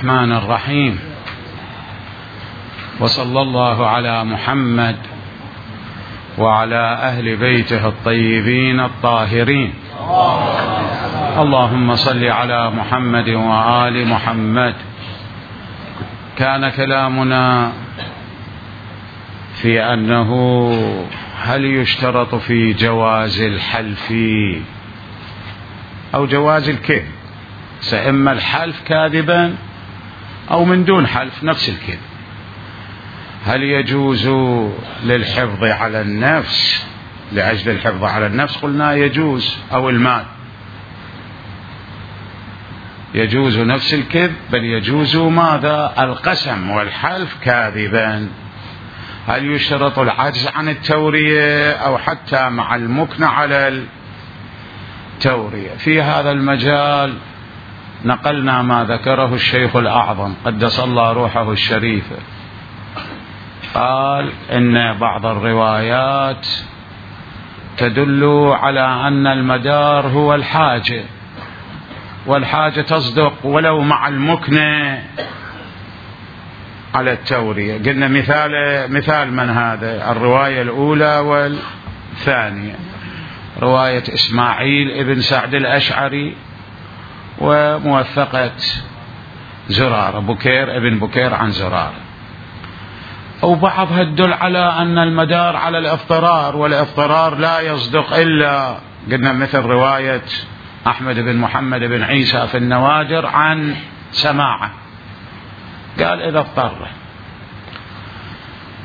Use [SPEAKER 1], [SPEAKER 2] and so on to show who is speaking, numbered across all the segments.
[SPEAKER 1] الرحمن الرحيم، وصلى الله على محمد وعلى أهل بيته الطيبين الطاهرين. اللهم صل على محمد وآل محمد. كان كلامنا في أنه هل يشترط في جواز الحلف أو جواز الكذب، سإما الحلف كاذبا أو من دون حلف نفس الكذب. هل يجوز للحفظ على النفس لأجل الحفظ على النفس؟ قلنا يجوز، أو المال يجوز نفس الكذب، بل يجوز ماذا؟ القسم والحلف كاذبا. هل يشترط العجز عن التورية أو حتى مع المكن على التورية؟ في هذا المجال نقلنا ما ذكره الشيخ الأعظم قدس الله روحه الشريفة، قال إن بعض الروايات تدل على أن المدار هو الحاجة، والحاجة تصدق ولو مع المكنة على التورية. قلنا مثال من هذا؟ الرواية الأولى والثانية، رواية إسماعيل ابن سعد الأشعري وموثقة زرارة، بكير ابن بكير عن زرارة. أو بعضها تدل على أن المدار على الاضطرار، والاضطرار لا يصدق إلا قلنا مثل رواية أحمد بن محمد بن عيسى في النوادر عن سماعة، قال إذا اضطر،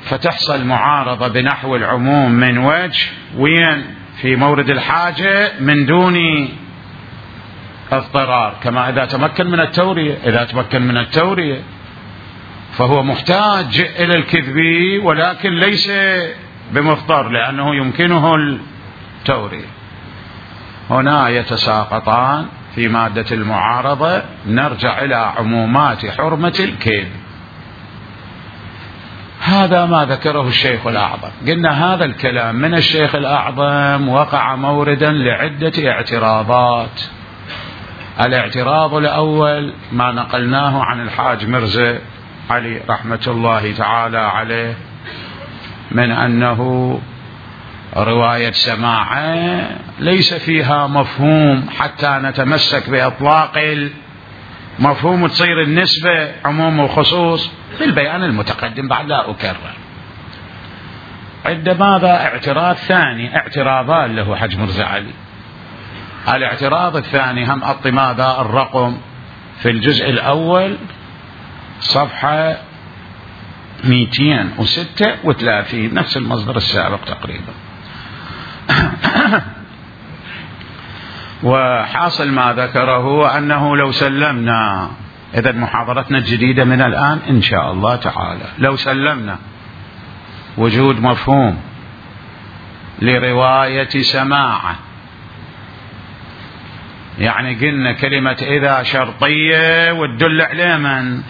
[SPEAKER 1] فتحصل معارضة بنحو العموم من وجه، وين؟ في مورد الحاجة من دون اضطرار، كما إذا تمكن من التورية. إذا تمكن من التورية فهو محتاج إلى الكذب ولكن ليس بمضطر لأنه يمكنه التورية. هنا يتساقطان في مادة المعارضة. نرجع إلى عمومات حرمة الكذب. هذا ما ذكره الشيخ الأعظم. قلنا هذا الكلام من الشيخ الأعظم وقع موردا لعدة اعتراضات. الاعتراض الأول ما نقلناه عن الحاج مرزا علي رحمة الله تعالى عليه من أنه رواية سماعة ليس فيها مفهوم حتى نتمسك بإطلاق المفهوم، تصير النسبة عموم وخصوص بالبيان المتقدم بعد لا أكرر. عندما اعتراض ثاني، اعتراضان له حج مرزا علي. الاعتراض الثاني هم ماذا الرقم في الجزء الأول صفحة 236، نفس المصدر السابق تقريبا. وحاصل ما ذكره أنه لو سلمنا، إذا محاضرتنا الجديدة من الآن إن شاء الله تعالى، لو سلمنا وجود مفهوم لرواية سماعة، يعني قلنا كلمة إذا شرطية وتدل على من؟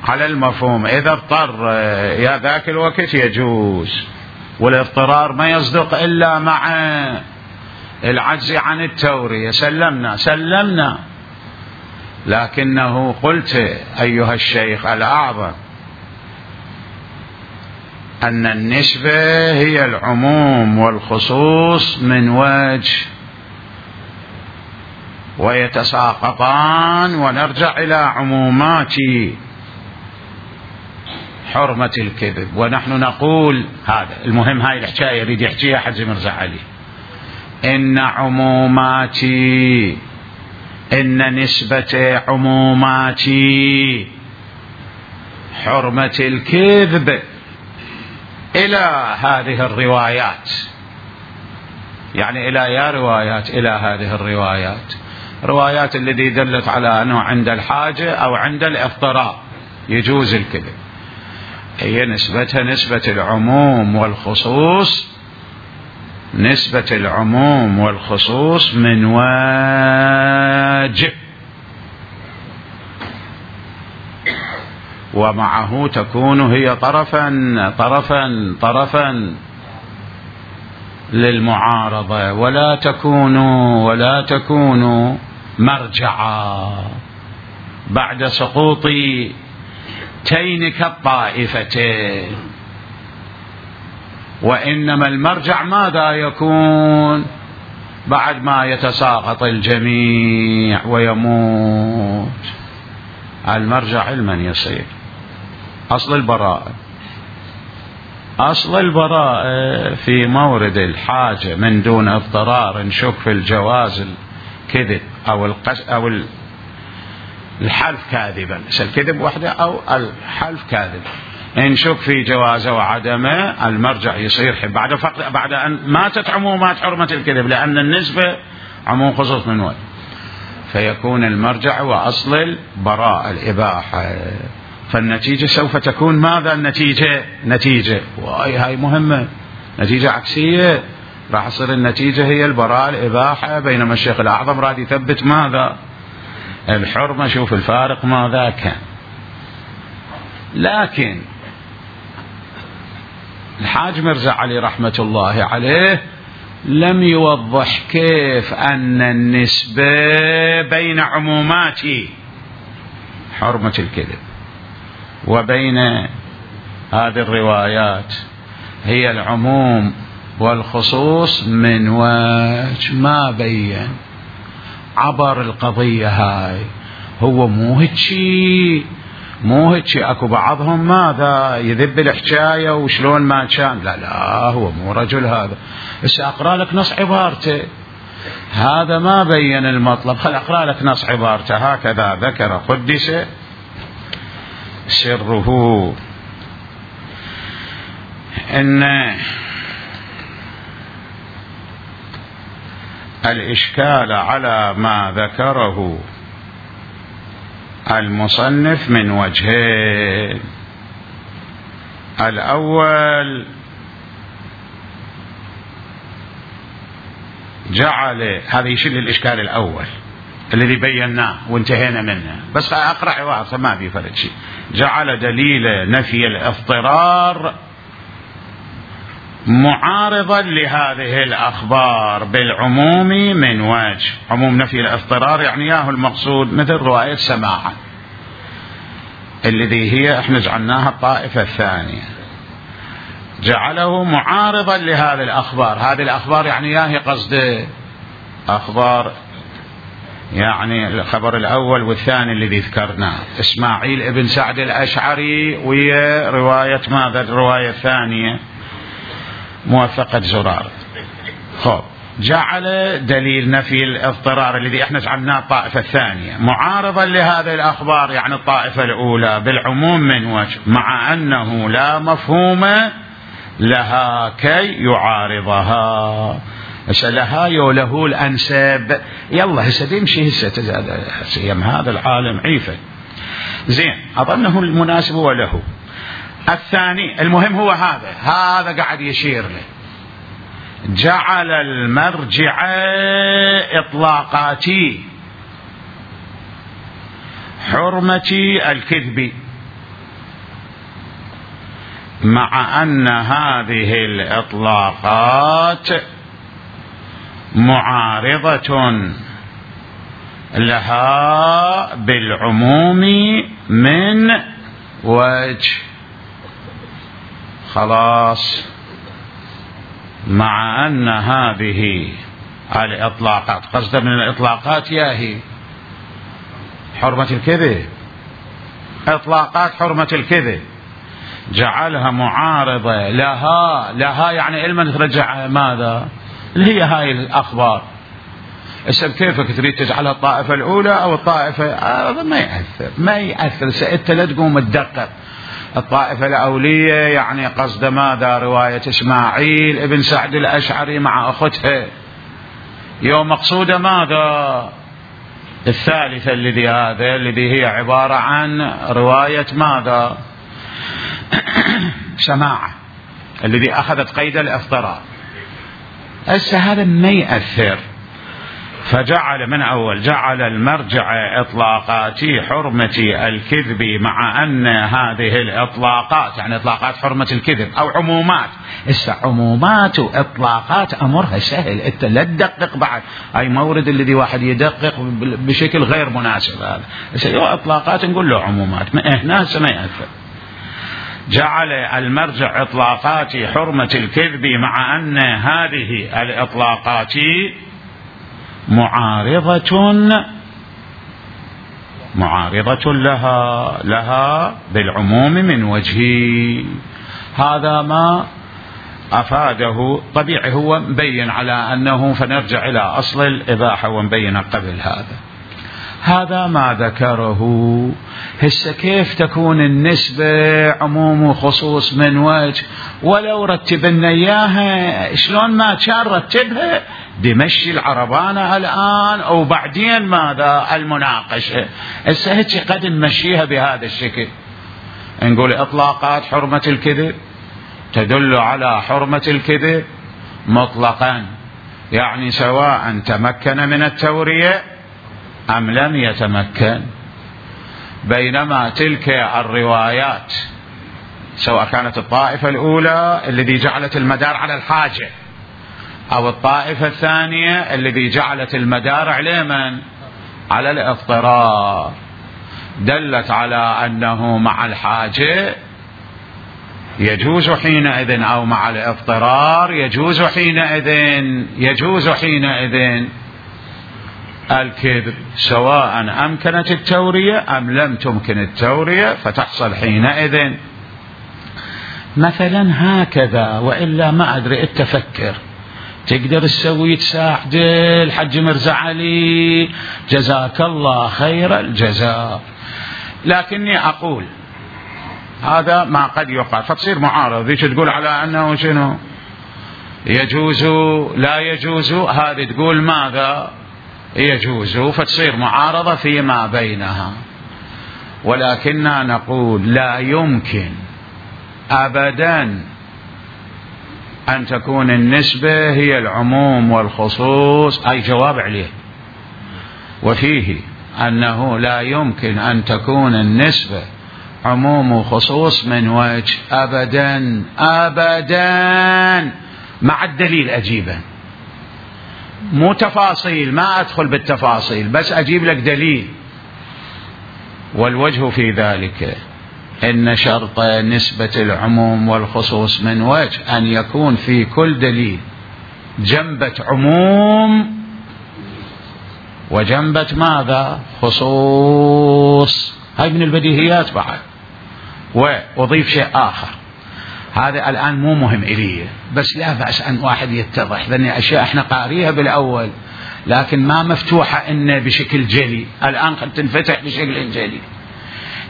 [SPEAKER 1] على المفهوم. إذا اضطر يا ذاك الوقت يجوز، والاضطرار ما يصدق إلا مع العجز عن التورية. سلمنا، لكنه قلت أيها الشيخ الأعظم أن النسبة هي العموم والخصوص من وجه، ويتساقطان، ونرجع إلى عمومات حرمة الكذب. ونحن نقول هذا المهم، هاي الحكاية يريد يحكيها حج مرزا علي، إن نسبة عمومات حرمة الكذب إلى هذه الروايات، يعني إلى هذه الروايات، روايات التي دلت على أنه عند الحاجة أو عند الاضطرار يجوز الكذب، هي نسبتها نسبة العموم والخصوص، نسبة العموم والخصوص من واجب، ومعه تكون هي طرفا للمعارضة، ولا تكون مرجعا. بعد سقوط تينك الطائفتين، وإنما المرجع ماذا يكون بعد ما يتساقط الجميع ويموت؟ المرجع علما يصير أصل البراءة. أصل البراءة في مورد الحاجة من دون اضطرار نشك في الجواز الكذب أو الحلف كاذبا، الكذب وحده أو الحلف كاذب، نشك في جوازه وعدمه، المرجع يصير بعد أن ماتت عمومات حرمة الكذب، لأن النسبة عموم خصوص من وين، فيكون المرجع وأصل البراءة الإباحة. فالنتيجة سوف تكون ماذا؟ نتيجة هاي مهمة، نتيجة عكسية، راح تصير النتيجة هي البراءة الإباحة، بينما الشيخ الأعظم راد يثبت ماذا؟ الحرمة. شوف الفارق ماذا كان. لكن الحاج مرزا علي رحمة الله عليه لم يوضح كيف أن النسبة بين عمومات حرمة الكذب وبين هذه الروايات هي العموم والخصوص من وجه ما بين، عبر القضية هاي. هو مو هيك اكو بعضهم ماذا يذب الحكاية وشلون ما كان، لا هو مو رجل هذا. بس اقرأ لك نص عبارته، هذا ما بين المطلب، خل اقرأ لك نص عبارته. هكذا ذكر قدس سره ان الإشكال على ما ذكره المصنف من وجهين. الأول جعل، هذا يشيل الإشكال الأول الذي بيناه وانتهينا منه، بس أقرأ عبارة ما في فرق شيء. جعل دليل نفي الاضطرار معارضا لهذه الأخبار بالعموم من وجه. عموم نفي الاضطرار يعني ياهو المقصود مثل رواية سماعة الذي هي احنا جعلناها الطائفة الثانية، جعله معارضا لهذه الأخبار. هذه الأخبار يعني ياهي قصد أخبار، يعني الخبر الأول والثاني الذي ذكرناه إسماعيل ابن سعد الأشعري ويا رواية ماذا؟ الرواية الثانية موثقة زرار. خب جعل دليل نفي الاضطرار الذي احنا جعلناه الطائفة الثانية معارضا لهذه الأخبار يعني الطائفة الأولى بالعموم من وجه، مع أنه لا مفهوم لها كي يعارضها. لها يوله الأنساب. يلا هسه يمشي هسه يم هذا العالم عيفة زين، أظنه المناسب وله. الثاني المهم هو هذا قاعد يشير له، جعل المرجع إطلاقاتي حرمة الكذب، مع أن هذه الإطلاقات معارضة لها بالعموم من وجه. خلاص، مع أن هذه الإطلاقات قصد من الإطلاقات ياهي حرمة الكذب، إطلاقات حرمة الكذب جعلها معارضة لها يعني علما ترجع ماذا اللي هي هاي الأخبار. السبب كيفك تريد تجعلها الطائفة الأولى أو الطائفة، هذا ما يأثر. سأنت لا تقوم تدقق الطائفة الأولية يعني قصد ماذا؟ رواية إسماعيل ابن سعد الأشعري مع أختها، يوم مقصودة ماذا؟ الثالثة الذي هي عبارة عن رواية ماذا؟ سماعة الذي أخذت قيد الاضطرار. هذا ما يأثر. فجعل من أول جعل المرجع إطلاقات حرمة الكذب، مع أن هذه الإطلاقات يعني إطلاقات حرمة الكذب أو عمومات. عمومات وإطلاقات أمرها سهل، أنت لا تدقق بعد أي مورد الذي واحد يدقق بشكل غير مناسب. هذا إطلاقات نقول له عمومات، هنا ما يأثر. جعل المرجع إطلاقات حرمة الكذب، مع أن هذه الإطلاقات معارضة لها بالعموم من وجه. هذا ما أفاده. طبيعي هو مبين على أنه، فنرجع إلى أصل الإباحة ومبين قبل هذا ما ذكره. هسه كيف تكون النسبة عموم وخصوص من وجه؟ ولو رتبنا إياها شلون ما كان رتبها بمشي العربانة الآن أو بعدين ماذا المناقشة. هسه هيك قد نمشيها بهذا الشكل، نقول إطلاقات حرمة الكذب تدل على حرمة الكذب مطلقا، يعني سواء تمكن من التورية أم لم يتمكن. بينما تلك الروايات سواء كانت الطائفة الأولى الذي جعلت المدار على الحاجة، أو الطائفة الثانية الذي جعلت المدار على من؟ على الاضطرار، دلت على أنه مع الحاجة يجوز حينئذ، أو مع الاضطرار يجوز حينئذ الكذب، سواء أمكنت التورية أم لم تمكن التورية، فتحصل حينئذ مثلا هكذا. وإلا ما أدري التفكر تقدر تسوي تساعد الحج مرزا علي جزاك الله خير الجزاء. لكني أقول هذا ما قد يقال، فتصير معارضة. ذيك تقول على أنه شنو يجوز لا يجوز، هذه تقول ماذا يجوز، فتصير معارضة فيما بينها. ولكننا نقول لا يمكن أبدا أن تكون النسبة هي العموم والخصوص، أي جواب عليه. وفيه أنه لا يمكن أن تكون النسبة عموم وخصوص من وجه أبدا أبدا، مع الدليل أجيبه، مو تفاصيل، ما أدخل بالتفاصيل، بس أجيب لك دليل. والوجه في ذلك إن شرط نسبة العموم والخصوص من وجه أن يكون في كل دليل جنبة عموم وجنبة ماذا؟ خصوص. هاي من البديهيات بعد. وأضيف شيء آخر، هذا الآن مو مهم إلي، بس لا بأس أن واحد يتضح، لأن أشياء احنا قاريها بالأول لكن ما مفتوحة إن بشكل جلي، الآن قد تنفتح بشكل جلي.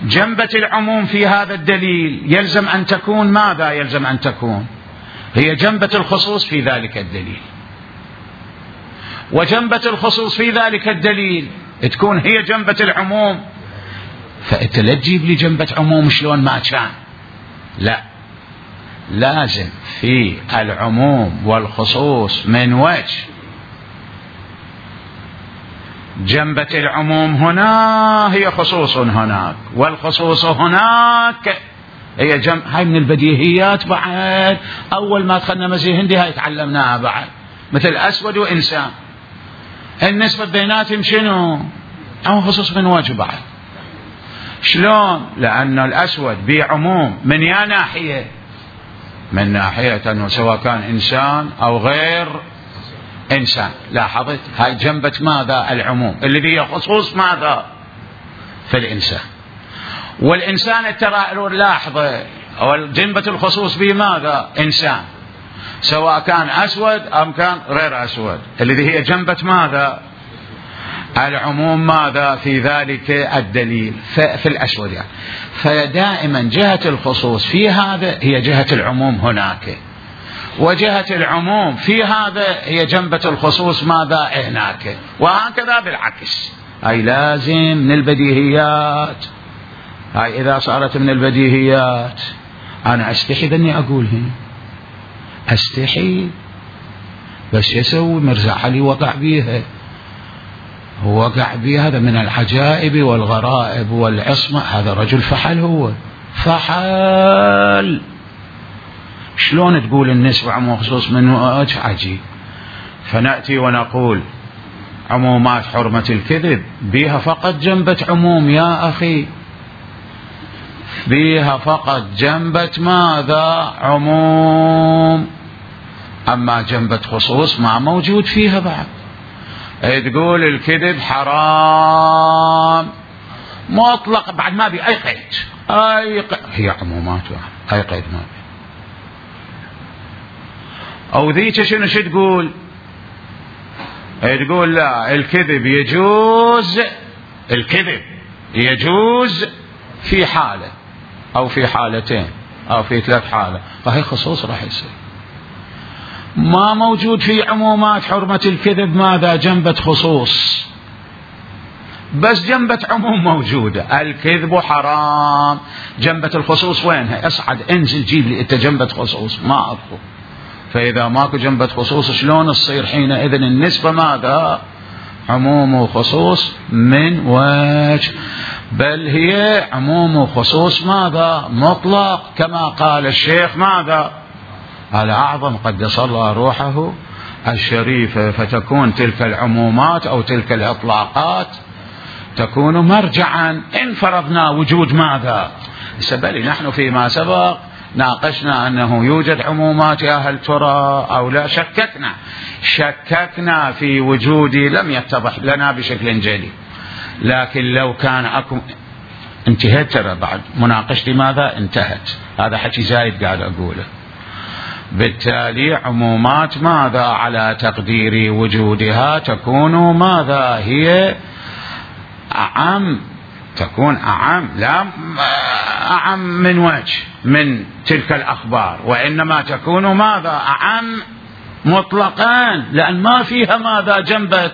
[SPEAKER 1] جنبة العموم في هذا الدليل يلزم أن تكون ماذا؟ يلزم أن تكون هي جنبة الخصوص في ذلك الدليل، وجنبة الخصوص في ذلك الدليل تكون هي جنبة العموم. فأنت لا تجيب لي جنبة عموم شلون ما كان، لا، لازم في العموم والخصوص من وجه جنبة العموم هنا هي خصوص هناك، والخصوص هناك هي جنب. هاي من البديهيات بعد، أول ما دخلنا مزيه هندي هاي تعلمناها بعد، مثل أسود وإنسان، النسبة بيناتهم شنو؟ أو خصوص من وجه بعد. شلون؟ لأن الأسود بعموم من يا ناحية، من ناحية أنه سواء كان إنسان أو غير إنسان. لاحظت هاي جنبة ماذا؟ العموم، الذي هي خصوص ماذا؟ في الإنسان. والإنسان ترى لاحظة جنبة الخصوص بماذا؟ إنسان، سواء كان أسود أم كان غير أسود، الذي هي جنبة ماذا؟ العموم ماذا؟ في ذلك الدليل في الأسود يعني. فدائما جهة الخصوص في هذا هي جهة العموم هناك، وجهة العموم في هذا هي جنبة الخصوص ماذا؟ هناك، وهكذا بالعكس. هاي لازم من البديهيات. هاي إذا صارت من البديهيات أنا أستحي ذني أقولها، أستحي، بس يسوي مرزا علي وقع بيها. هو وقع به، هذا من العجائب والغرائب والعصمة. هذا رجل فحل، هو فحل. شلون تقول النسبة عموم خصوص من وجه عجيب؟ فنأتي ونقول عمومات حرمة الكذب بها فقط جنبة عموم يا أخي، بها فقط جنبة ماذا؟ عموم. أما جنبة خصوص ما موجود فيها بعد. تقول الكذب حرام مطلق بعد ما بي أي قيد، هي عمومات أي قيد ما بي. أو ذيك شنو تقول؟ تقول لا، الكذب يجوز، الكذب يجوز في حالة أو في حالتين أو في 3 حالات، فهي خصوص راح يصير. ما موجود في عمومات حرمة الكذب ماذا؟ جنبة خصوص، بس جنبة عموم موجودة. الكذب حرام، جنبة الخصوص وينها؟ اصعد انزل جيب لي انت جنبة خصوص، ما اطلب. فإذا ماكو جنبة خصوص شلون تصير حينئذ النسبة ماذا؟ عموم وخصوص من وجه، بل هي عموم وخصوص ماذا؟ مطلق، كما قال الشيخ ماذا؟ الأعظم قدس الله روحه الشريفة. فتكون تلك العمومات أو تلك الإطلاقات تكون مرجعا إن فرضنا وجود ماذا؟ سبالي نحن فيما سبق ناقشنا أنه يوجد عمومات، يا هل ترى أو لا؟ شككنا في وجودي، لم يتضح لنا بشكل جلي. لكن لو كان أكو انتهت، ترى بعد مناقشتي ماذا؟ انتهت. هذا حكي زايد قاعد أقوله. بالتالي عمومات ماذا؟ على تقدير وجودها تكون ماذا؟ هي أعم، تكون أعم، لا أعم من وجه من تلك الأخبار، وإنما تكون ماذا؟ أعم مطلقا، لأن ما فيها ماذا؟ جنبة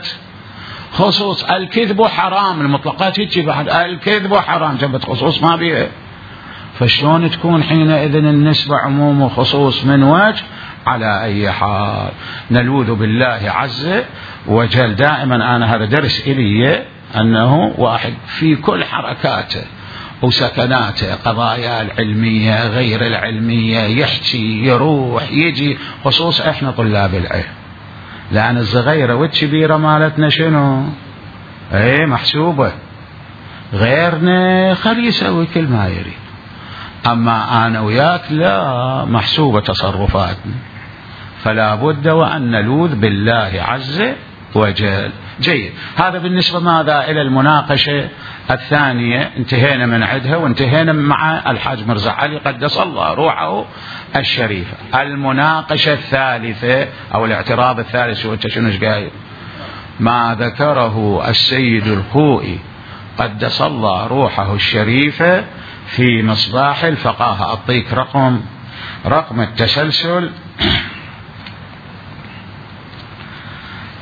[SPEAKER 1] خصوص. الكذب حرام، المطلقات هيك بعد، الكذب حرام، جنبة خصوص ما بيها. فشلون تكون حينئذ النسبة عموم وخصوص من وجه؟ على أي حال نلوذ بالله عز وجل. دائما أنا هذا درس إلي، أنه واحد في كل حركاته وسكناته، قضايا العلمية غير العلمية، يحكي يروح يجي، خصوص إحنا طلاب العلم، لأن الصغيرة والكبيرة مالتنا شنو؟ محسوبة. غيرنا خلي يسوي كل ما يريد، أما أنا وياك لا، محسوبة تصرفاتنا. فلا بد وأن نلوذ بالله عز وجل. جيد. هذا بالنسبة ماذا؟ إلى المناقشة الثانية، انتهينا من عدها وانتهينا مع الحاج مرزا علي قدس الله روحه الشريفة. المناقشة الثالثة أو الاعتراض الثالث، شنو قايل؟ ما ذكره السيد الخوئي قدس الله روحه الشريفة في مصباح الفقاهة. أعطيك رقم التسلسل،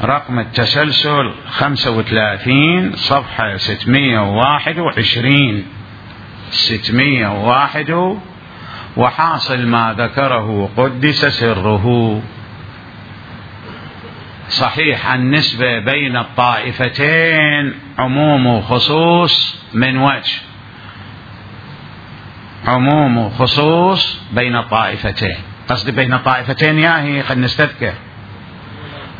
[SPEAKER 1] رقم التسلسل 35 صفحة 621 601. وحاصل ما ذكره قدس سره صحيح. النسبة بين الطائفتين عموم وخصوص من وجه، عموم وخصوص بين الطائفتين. قصدي بين الطائفتين ياهي، خلنا نستذكر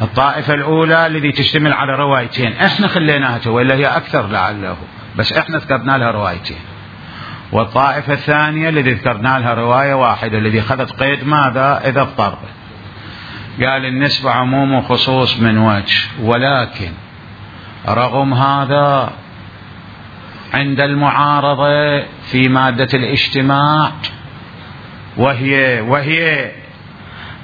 [SPEAKER 1] الطائفة الأولى التي تشتمل على روايتين، احنا خليناها وإلا هي أكثر لعله، بس احنا ذكرنا لها روايتين. والطائفة الثانية التي ذكرنا لها رواية واحدة، الذي أخذت قيد ماذا؟ إذا اضطر. قال النسبة عموم وخصوص من وجه، ولكن رغم هذا عند المعارضة في مادة الاجتماع، وهي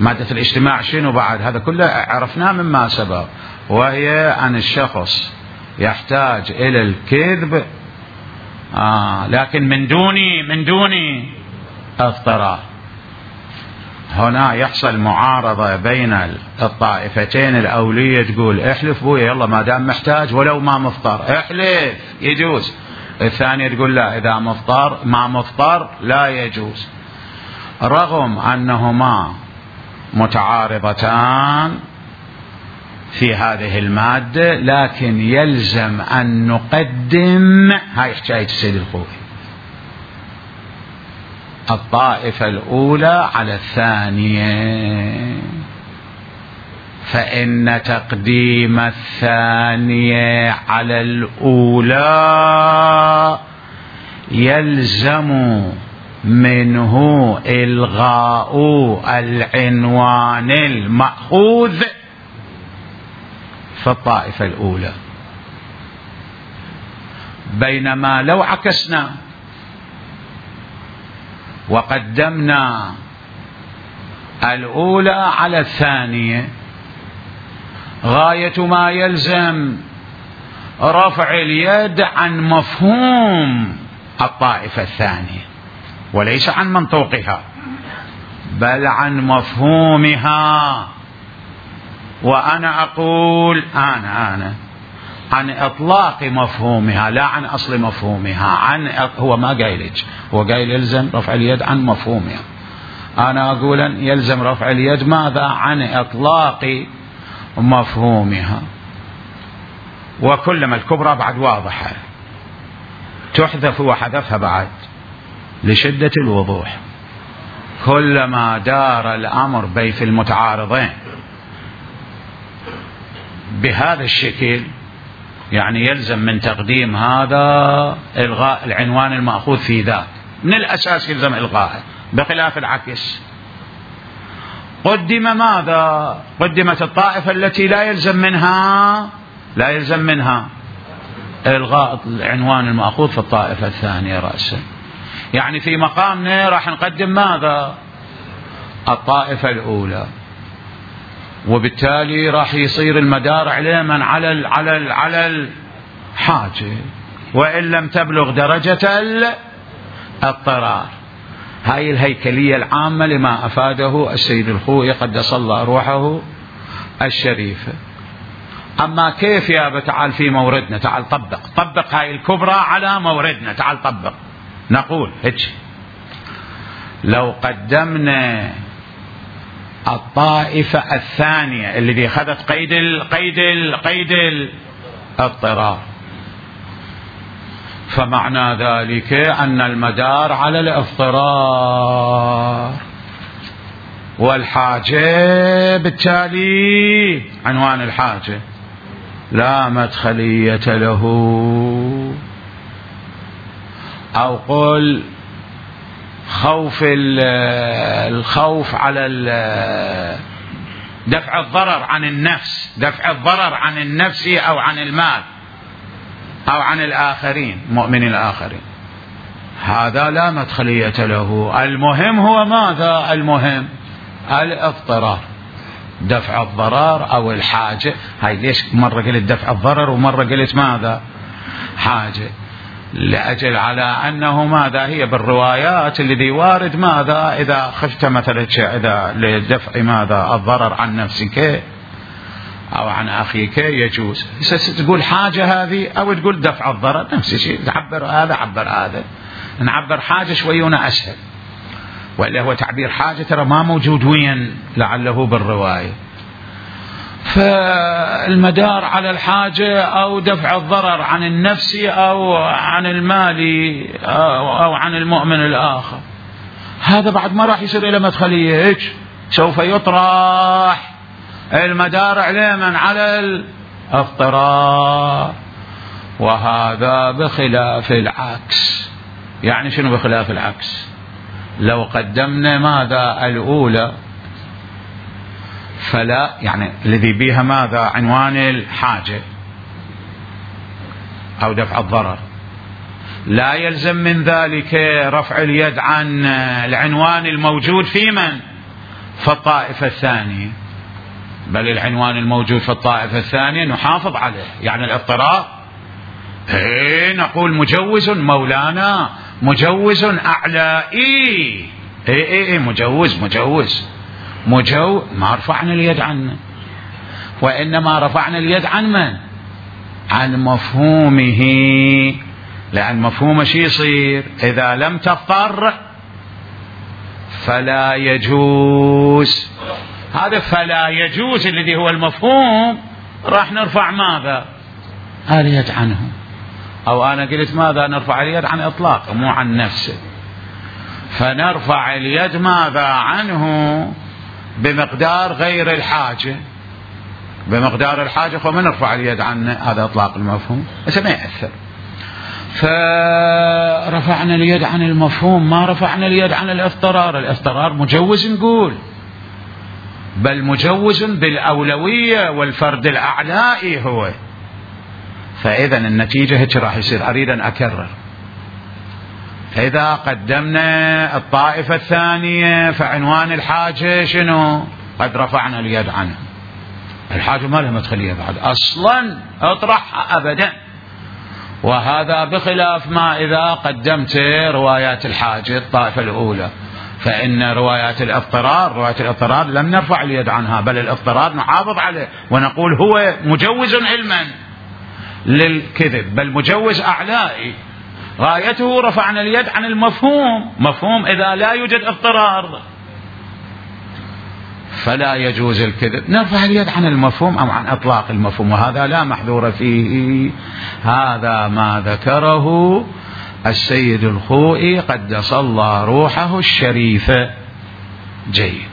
[SPEAKER 1] مادة الاجتماع شنو بعد؟ هذا كله عرفناه مما سبق، وهي أن الشخص يحتاج إلى الكذب لكن من دون اضطرار. هنا يحصل معارضة بين الطائفتين. الأولية تقول احلف بويا يلا ما دام محتاج ولو ما مفطر، احلف يجوز. الثانية تقول لا، إذا ما مفطر لا يجوز. رغم أنهما متعارضتان، في هذه المادة، لكن يلزم أن نقدم، هاي حكاية السيد الخوئي، الطائفة الأولى على الثانية، فإن تقديم الثانية على الأولى يلزم منه إلغاء العنوان المأخوذ في الطائفة الأولى، بينما لو عكسنا وقدمنا الأولى على الثانية، غاية ما يلزم رفع اليد عن مفهوم الطائفة الثانية وليس عن منطوقها، بل عن مفهومها. وأنا أقول أنا عن إطلاق مفهومها لا عن أصل مفهومها. هو ما قايلج، هو قايل يلزم رفع اليد عن مفهومها. أنا أقول يلزم رفع اليد ماذا؟ عن إطلاق مفهومها. وكلما الكبرى بعد واضحة تحذف وحذفها بعد لشدة الوضوح. كلما دار الأمر بين المتعارضين بهذا الشكل، يعني يلزم من تقديم هذا إلغاء العنوان المأخوذ في ذاك، من الأساس يلزم إلغاءه، بخلاف العكس. قدم ماذا؟ قدمت الطائفة التي لا يلزم منها إلغاء العنوان المأخوذ في الطائفة الثانية رأسا. يعني في مقامنا راح نقدم ماذا؟ الطائفة الأولى، وبالتالي راح يصير المدار علما على الحاجة، وإن لم تبلغ درجة الاضطرار. هاي الهيكلية العامة لما أفاده السيد الخوئي قدس الله روحه الشريفة. أما كيف يا تعال في موردنا، تعال طبق هاي الكبرى على موردنا، تعال طبق. نقول هيك: لو قدمنا الطائفة الثانية التي أخذت قيد الاضطرار، فمعنى ذلك أن المدار على الاضطرار، والحاجة بالتالي عنوان الحاجة لا مدخلية له. أو قل الخوف على دفع الضرر عن النفس أو عن المال أو عن الآخرين، مؤمن الآخرين، هذا لا مدخلية له. المهم هو ماذا؟ المهم الاضطرار، دفع الضرر أو الحاجة. هاي ليش مرة قلت دفع الضرر ومرة قلت ماذا؟ حاجة، لأجل على أنه ماذا؟ هي بالروايات الذي وارد ماذا؟ إذا خفت مثلا إذا لدفع ماذا؟ الضرر عن نفسك أو عن أخيك يجوز. تقول حاجة هذه أو تقول دفع الضرر، نفس الشيء، تعبر هذا عبر هذا. نعبر حاجة شوينا أسهل، وإلا هو تعبير حاجة ترى ما موجود وين لعله بالرواية. فالمدار على الحاجة أو دفع الضرر عن النفس أو عن المال أو عن المؤمن الآخر، هذا بعد ما راح يصير إلى مدخلية، هيك سوف يطرح المدار علما على الاضطرار، وهذا بخلاف العكس. يعني شنو بخلاف العكس؟ لو قدمنا ماذا؟ الأولى، فلا يعني الذي بها ماذا؟ عنوان الحاجة أو دفع الضرر، لا يلزم من ذلك رفع اليد عن العنوان الموجود في من؟ في الطائفة الثانية، بل العنوان الموجود في الطائفة الثانية نحافظ عليه. يعني الاضطرار نقول مجوز مولانا، مجوز أعلائي، مجوز ما رفعنا اليد عنه، وإنما رفعنا اليد عن من؟ عن مفهومه. لأن مفهومه شي يصير؟ إذا لم تضطر فلا يجوز. هذا فلا يجوز الذي هو المفهوم راح نرفع ماذا؟ اليد عنه. أو أنا قلت ماذا نرفع اليد؟ عن إطلاقه مو عن نفسه. فنرفع اليد ماذا عنه؟ بمقدار غير الحاجة. بمقدار الحاجة فما نرفع اليد عنه، هذا إطلاق المفهوم بس ما يأثر. فرفعنا اليد عن المفهوم، ما رفعنا اليد عن الاضطرار. الاضطرار مجوز نقول، بل مجوز بالأولوية والفرد الأعلائي هو. فإذا النتيجة هيك راح يصير. أريد أن أكرر، إذا قدمنا الطائفة الثانية فعنوان الحاجة شنو؟ قد رفعنا اليد عنه. الحاجة ما لها مدخلية بعد أصلا، اطرحها أبدا. وهذا بخلاف ما إذا قدمت روايات الحاجة الطائفة الأولى، فإن روايات الاضطرار لم نرفع اليد عنها، بل الاضطرار نحافظ عليه ونقول هو مجوز علما للكذب، بل مجوز أعلائي. غايته رفعنا اليد عن المفهوم. مفهوم إذا لا يوجد اضطرار فلا يجوز الكذب، نرفع اليد عن المفهوم أو عن إطلاق المفهوم، وهذا لا محذور فيه. هذا ما ذكره السيد الخوئي قدس الله روحه الشريفة. جيد.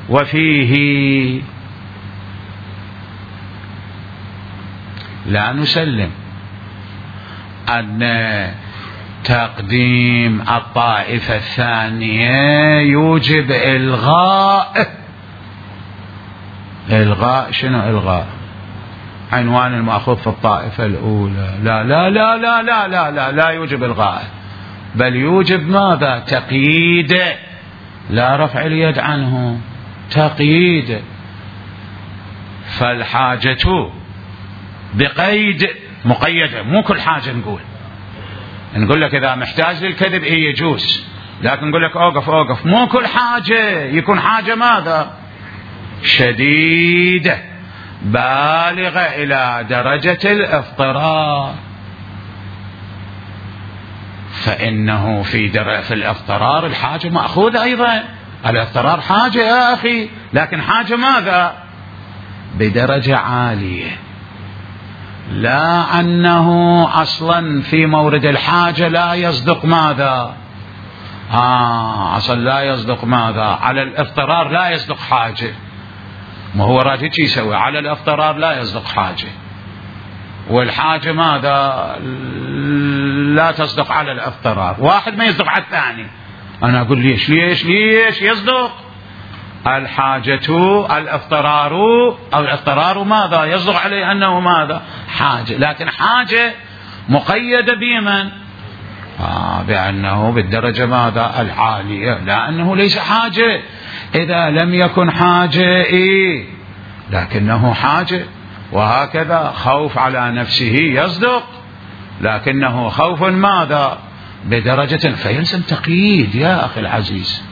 [SPEAKER 1] وفيه لا نسلم أن تقديم الطائفة الثانية يوجب إلغاء. شنو إلغاء؟ عنوان المأخوذ في الطائفة الأولى. لا لا لا لا لا لا لا, لا يوجب إلغاء، بل يوجب ماذا؟ تقييد. لا رفع اليد عنه، تقييد. فالحاجة بقيد مقيدة، مو كل حاجة نقول لك إذا محتاج للكذب يجوز، لكن نقول لك أوقف مو كل حاجة يكون حاجة ماذا؟ شديدة بالغة إلى درجة الاضطرار. فإنه في الاضطرار الحاجة مأخوذة أيضا. الاضطرار حاجة يا أخي، لكن حاجة ماذا؟ بدرجة عالية. لا أنه أصلا في مورد الحاجة لا يصدق ماذا؟ أصلا لا يصدق ماذا؟ على الاضطرار لا يصدق حاجة. ما هو راجل شي يسوي؟ على الاضطرار لا يصدق حاجة، والحاجة ماذا؟ لا تصدق على الاضطرار. واحد ما يصدق على الثاني. أنا أقول ليش يصدق؟ الحاجة الاضطرار أو الاضطرار ماذا؟ يصدق عليه أنه ماذا؟ حاجة، لكن حاجة مقيدة بمن؟ بأنه بالدرجة ماذا؟ العالية، لأنه ليس حاجة. إذا لم يكن حاجة لكنه حاجة. وهكذا خوف على نفسه يصدق، لكنه خوف ماذا؟ بدرجة، فيلزم تقييد يا أخي العزيز.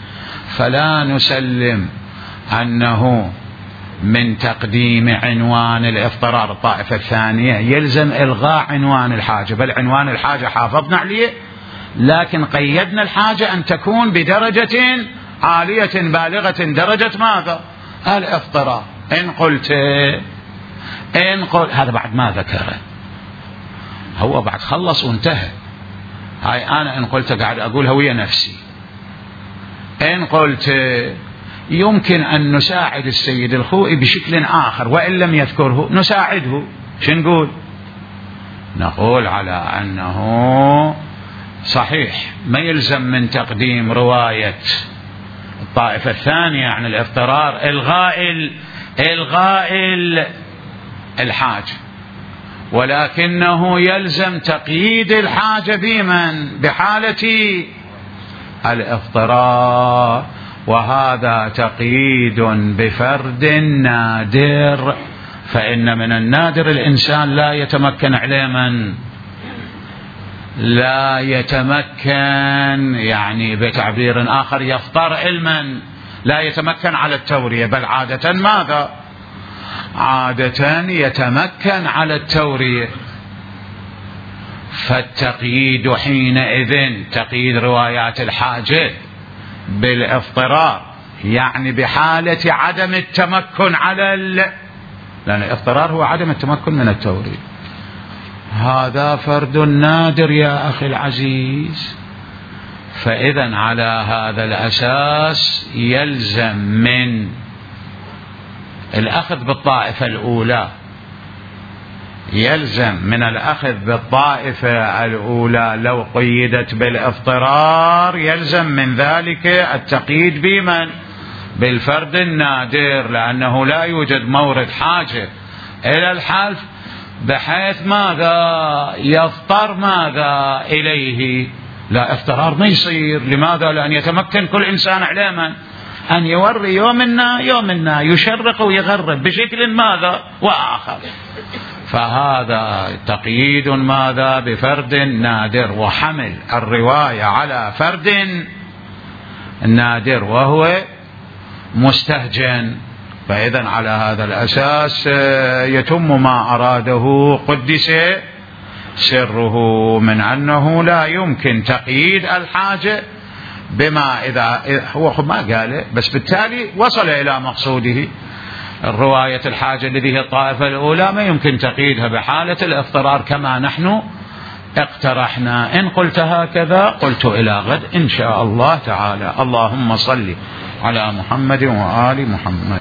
[SPEAKER 1] فلا نسلم أنه من تقديم عنوان الاضطرار الطائفة الثانية يلزم إلغاء عنوان الحاجة، بل عنوان الحاجة حافظنا عليه، لكن قيدنا الحاجة أن تكون بدرجة عالية بالغة درجة ماذا؟ الاضطرار. إن قلت هذا بعد ما ذكره، هو بعد خلص وانتهى. هاي أنا إن قلت قاعد أقولها ويا نفسي. إن قلت يمكن أن نساعد السيد الخوئي بشكل آخر وإن لم يذكره نساعده، شو نقول؟ نقول على أنه صحيح ما يلزم من تقديم رواية الطائفة الثانية عن الاضطرار إلغاء الحاجة، ولكنه يلزم تقييد الحاجة بمن؟ بحالة الاضطرار، وهذا تقييد بفرد نادر. فإن من النادر الإنسان لا يتمكن عليه من لا يتمكن، يعني بتعبير آخر يفطر علما، لا يتمكن على التورية، بل عادة ماذا؟ عادة يتمكن على التورية. فالتقييد حينئذ تقييد روايات الحاجة بالاضطرار يعني بحالة عدم التمكن لأن الاضطرار هو عدم التمكن من التوريد. هذا فرد نادر يا أخي العزيز. فإذا على هذا الأساس يلزم من الأخذ بالطائفة الأولى، يلزم من الأخذ بالطائفة الأولى لو قيدت بالاضطرار، يلزم من ذلك التقييد بمن؟ بالفرد النادر، لأنه لا يوجد مورد حاجة إلى الحلف بحيث ماذا يضطر ماذا إليه. لا، اضطرار ما يصير. لماذا؟ لأن يتمكن كل إنسان علما أن يوري يومنا يشرق ويغرب بشكل ماذا وآخر. فهذا تقييد ماذا؟ بفرد نادر، وحمل الرواية على فرد نادر وهو مستهجن. فإذا على هذا الأساس يتم ما أراده قدس سره من أنه لا يمكن تقييد الحاجة بما إذا هو ما قاله، بس بالتالي وصل إلى مقصوده. الرواية الحاجة الذي هي الطائفة الأولى ما يمكن تقييدها بحالة الاضطرار كما نحن اقترحنا. إن قلت هكذا قلت إلى غد إن شاء الله تعالى. اللهم صل على محمد وآل محمد.